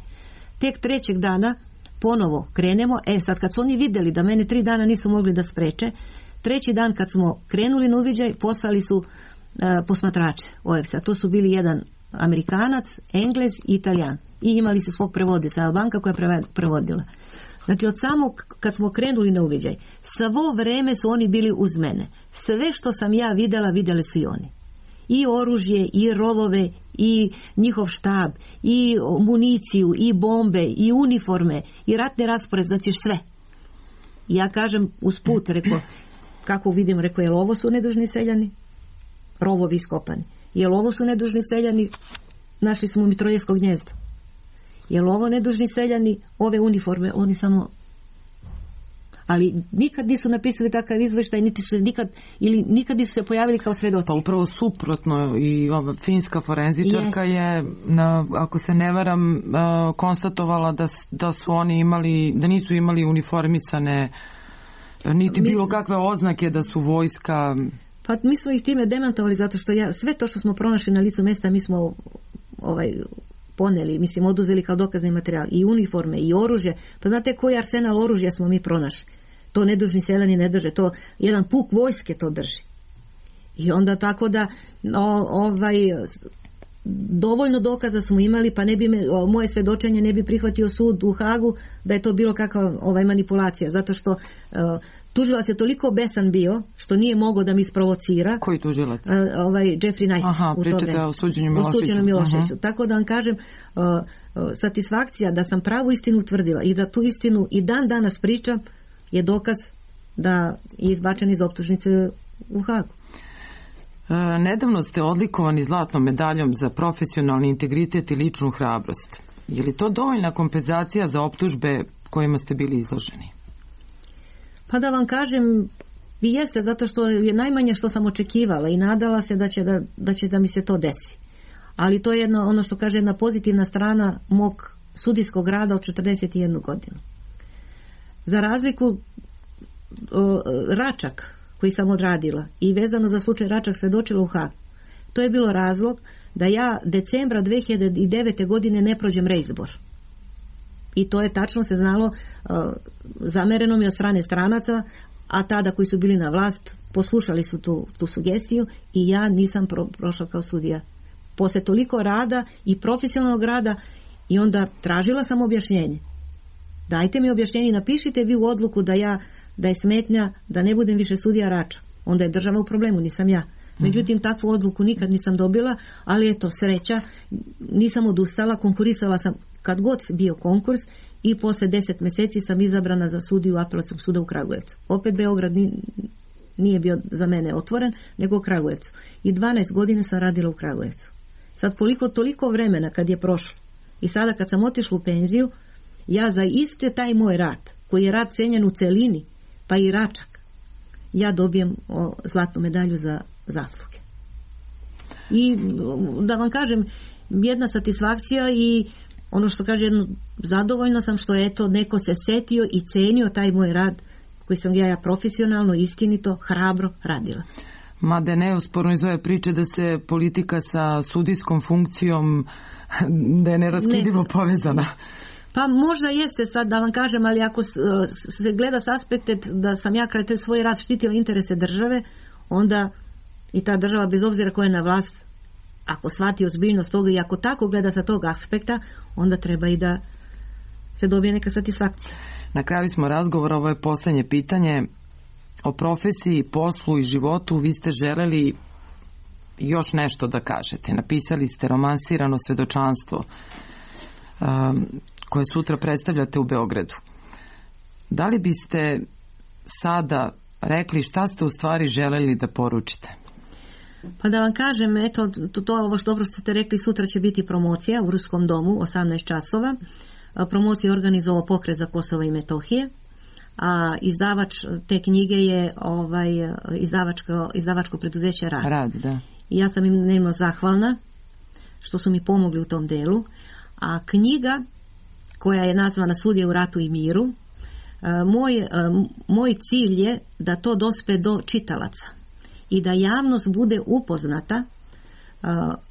Tek trećeg dana ponovo krenemo. E sad kad su oni vidjeli da mene tri dana nisu mogli da spreče, treći dan kad smo krenuli na uviđaj poslali su uh, posmatrače O E F S-a. To su bili jedan Amerikanac, Englez i Italijan. I imali su svog prevodica, Albanka koja je prevodila. Znači od samog kad smo krenuli na uviđaj, svo vreme su oni bili uz mene. Sve što sam ja vidjela, vidjeli su i oni. I oružje, i rovove, i njihov štab, i municiju, i bombe, i uniforme, i ratne raspored, znači sve. I ja kažem usput, rekao, kako vidim, rekao, jel ovo su nedužni seljani? Rovovi iskopani. Jel ovo su nedužni seljani? Našli smo u Mitrojevsko gnjezdo. Jel ovo nedužni seljani? Ove uniforme, oni samo... Ali nikad nisu napisali takav izveštaj, niti su nikad, ili nikad nisu se pojavili kao svedoci. Pa upravo suprotno, i ova finska forenzičarka yes. je, na, ako se ne varam, uh, konstatovala da, da su oni imali, da nisu imali uniformisane niti bilo mi, kakve oznake da su vojska. Pa mi smo ih time demantovali zato što ja, sve to što smo pronašli na licu mesta mi smo ovaj, poneli, mislim oduzeli kao dokazni materijal, i uniforme, i oružje. Pa znate koji arsenal oružja smo mi pronašli? To nedužni seljani ne drže, to jedan puk vojske to drži. I onda tako da o, ovaj dovoljno dokaza smo imali, pa ne bi me, o, moje svedočenje ne bi prihvatio sud u Hagu da je to bilo kakva ovaj manipulacija, zato što uh, tužilac je toliko besan bio što nije mogao da mi isprovocira. Koji tužilac? Uh, ovaj Jeffrey Nice. Aha, pričate o suđenju Miloševiću. Miloševiću. Uh-huh. Tako da vam kažem, uh, uh, satisfakcija da sam pravu istinu utvrdila i da tu istinu i dan danas pričam je dokaz da je izbačen iz optužnice u Hagu. E, nedavno ste odlikovani zlatnom medaljom za profesionalni integritet i ličnu hrabrost. Je li to dovoljna kompenzacija za optužbe kojima ste bili izloženi? Pa da vam kažem, i jeste, zato što je najmanje što sam očekivala i nadala se da će da, da će da mi se to desi. Ali to je jedno, ono što kaže, jedna pozitivna strana mog sudijskog rada od četrdeset jednu godinu. Za razliku o, Račak koji sam odradila i vezano za slučaj Račak svedočila u Hagu, to je bilo razlog da ja decembra dve hiljade devete. godine ne prođem reizbor. I to je tačno se znalo, uh, zamereno mi od strane stranaca, a tada koji su bili na vlast poslušali su tu, tu sugestiju i ja nisam pro, prošla kao sudija. Posle toliko rada i profesionalnog rada i onda tražila sam objašnjenje. Dajte mi objašnjenje, napišite vi u odluku da ja da je smetnja da ne budem više sudija Rača. Onda je država u problemu, nisam ja. Međutim, takvu odluku nikad nisam dobila, ali eto, sreća, nisam odustala, konkurisala sam kad god bio konkurs i posle deset mjeseci sam izabrana za sudiju Apelacionog suda u Kragujevcu. Opet Beograd nije bio za mene otvoren, nego u Kragujevcu. I dvanaest godina sam radila u Kragujevcu. Sad koliko toliko vremena kad je prošlo i sada kad sam otišla u penziju, ja za iste taj moj rad, koji je rad cenjen u celini, pa i Račak, ja dobijem o, zlatnu medalju za zasluge. I da vam kažem, jedna satisfakcija i ono što kaže, jedno, zadovoljna sam što eto neko se setio i cenio taj moj rad koji sam ja, ja profesionalno, istinito, hrabro radila. Mada je neosporno iz ove priče da se politika sa sudijskom funkcijom da je neraskidivo ne. povezana. Pa možda jeste, sad da vam kažem, ali ako se gleda s aspekta da sam ja kraj svoj rad štitila interese države, onda i ta država, bez obzira koja je na vlast, ako shvati ozbiljnost toga i ako tako gleda sa tog aspekta, onda treba i da se dobije neka satisfakcija. Na kraju smo razgovora, ovo je posljednje pitanje. O profesiji, poslu i životu vi ste želeli još nešto da kažete. Napisali ste romansirano svedočanstvo um, koje sutra predstavljate u Beogradu. Da li biste sada rekli šta ste u stvari želeli da poručite? Pa da vam kažem, eto, to, to ovo što dobro ste rekli, sutra će biti promocija u Ruskom domu, osamnaest časova. promociju organizovao Pokret za Kosovo i Metohije, a izdavač te knjige je ovaj, izdavačko, izdavačko preduzeće Rad. Rad, da. I ja sam im nemno zahvalna što su mi pomogli u tom delu. A knjiga koja je nazvana Sudije u ratu i miru, moj, moj cilj je da to dospe do čitalaca i da javnost bude upoznata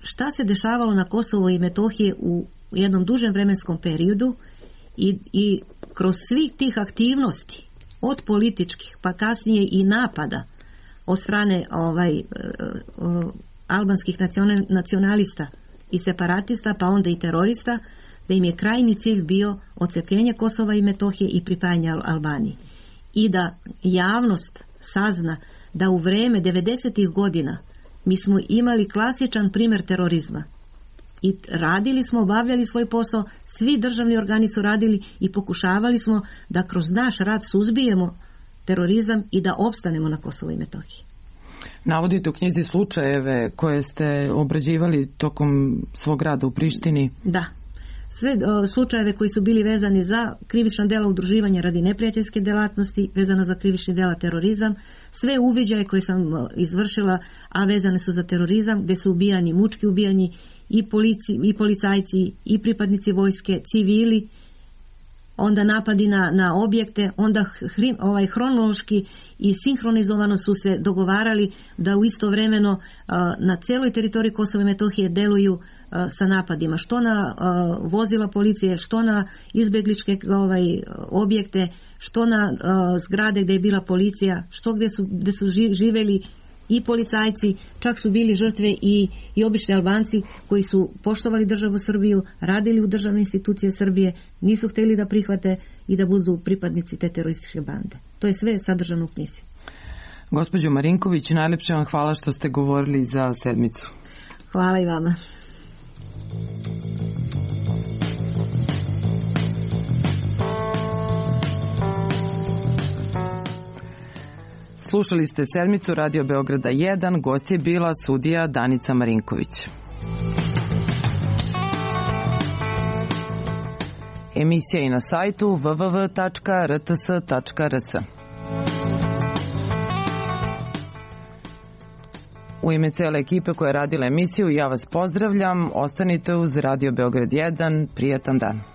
šta se dešavalo na Kosovo i Metohije u jednom dužem vremenskom periodu i, i kroz svih tih aktivnosti, od političkih pa kasnije i napada od strane ovaj, albanskih nacionalista i separatista, pa onda i terorista, da im je krajni cilj bio odcepljenje Kosova i Metohije i pripajanje Albaniji. I da javnost sazna da u vreme devedesetih godina mi smo imali klasičan primjer terorizma. I radili smo, obavljali svoj posao, svi državni organi su radili i pokušavali smo da kroz naš rad suzbijemo terorizam i da opstanemo na Kosovo i Metohiji. Navodite u knjizi slučajeve koje ste obrađivali tokom svog rada u Prištini. Da. Sve o, slučajeve koji su bili vezani za krivična dela udruživanja radi neprijateljske delatnosti, vezano za krivični dela terorizam, sve uviđaje koje sam o, izvršila, a vezane su za terorizam, gdje su ubijani, mučki ubijani i, polici, i policajci, i pripadnici vojske, civili, onda napadi na, na objekte, onda hri, ovaj, hronološki i sinhronizovano su se dogovarali da u istovremeno uh, na cijeloj teritoriji Kosova i Metohije deluju uh, sa napadima, što na uh, vozila policije, što na izbjegličke ovaj, objekte, što na uh, zgrade gdje je bila policija, što gdje su, gdje su živjeli i policajci, čak su bili žrtve i, i obični Albanci koji su poštovali državu Srbiju, radili u državne institucije Srbije, nisu htjeli da prihvate i da budu pripadnici te terorističke bande. To je sve sadržano u knjizi. Gospođo Marinković, najlepše vam hvala što ste govorili za sedmicu. Hvala i vama. Slušali ste sedmicu Radio Beograda jedan, gost je bila sudija Danica Marinković. Emisija je na sajtu w w w tačka r t s tačka r s. U ime cele ekipe koja je radila emisiju, ja vas pozdravljam. Ostanite uz Radio Beograd jedan. Prijatan dan.